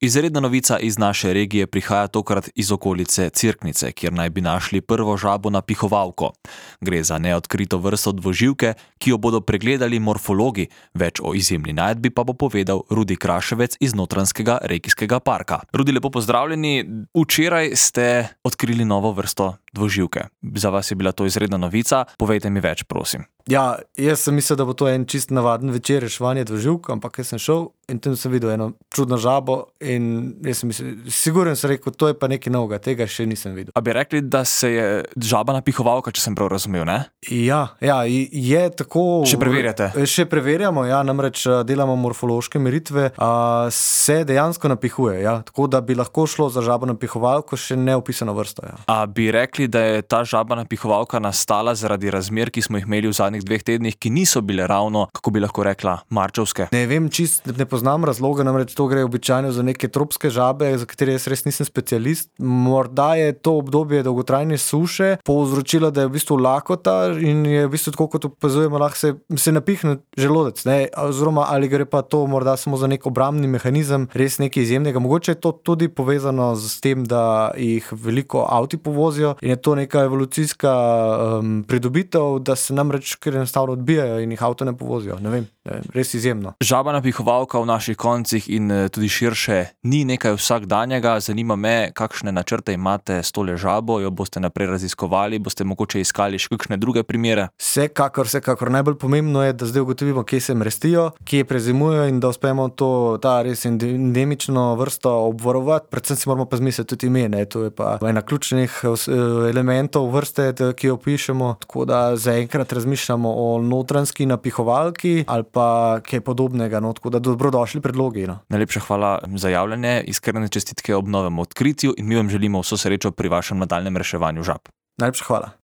Izredna novica iz naše regije prihaja tokrat iz okolice Cerknice, kjer naj bi našli prvo žabo napihovalko. Gre za neodkrito vrsto dvoživke, ki jo bodo pregledali morfologi, več o izjemni najdbi pa bo povedal Rudi Kraševec iz Notranjskega regijskega parka. Rudi, lepo pozdravljeni. Včeraj ste odkrili novo vrsto dvoživke. Za vas je bila to izredna novica. Povejte mi več, prosim. Ja, jaz sem mislil, da bo to en čist navaden večer reševanje dvoživk, ampak jaz sem šel in tam sem videl eno čudno žabo in jaz sem mislil, sigurno sem rekel, to je pa nekaj novega, tega še nisem videl. A bi rekli, da se je žaba napihovalka, če sem prav razumel, ne? Ja, je tako... Še preverjate? Še preverjamo, ja, namreč delamo morfološke meritve, se dejansko napihuje, ja, tako da bi lahko šlo za žabo napihovalko še neopisano vrsto, ja. A bi rekli, da je ta žaba napihovalka nastala zaradi razmer, ki smo jih imeli v zadnjih 2 tednih, ki niso bile ravno, kako bi lahko rekla, marčevske? Ne vem, ne poznam razloga, namreč to gre običajno za neke tropske žabe, za katere jaz res nisem specialist. Morda je to obdobje dolgotrajne suše povzročilo, da je v bistvu lakota in je v bistvu tako, kot opazujemo, lahko se napihne želodec, ne, oziroma ali gre pa to morda samo za nek obrambni mehanizem, res nekaj izjemnega. Mogoče je to tudi povezano s tem, da jih veliko avti povozijo in je to neka evolucijska pridobitev, da se namreč ker enostavno odbijajo in jih avto ne povozijo. Ne vem, res izjemno. Žaba napihovalka v naših koncih in tudi širše ni nekaj vsakdanjega. Zanima me, kakšne načrte imate s tole žabo, jo boste naprej raziskovali, boste mogoče iskali še kakšne druge primere? Vsekakor. Najbolj pomembno je, da zdaj ugotovimo, kje se mrestijo, kje prezimujejo in da uspemo ta res endemično vrsto obvarovati. Predvsem si moramo pa zmisliti tudi ime, ne? To je pa ena ključnih elementov vrste, ki jo pišemo, tako da zaenkrat razmišljamo o notranjski napihovalki ali pa kaj podobnega, no, tako da dobrodošli predlogi, no. Najlepša hvala za javljanje, iskrene čestitke ob novem odkritju in mi vam želimo vso srečo pri vašem nadaljnjem reševanju žab. Najlepša hvala.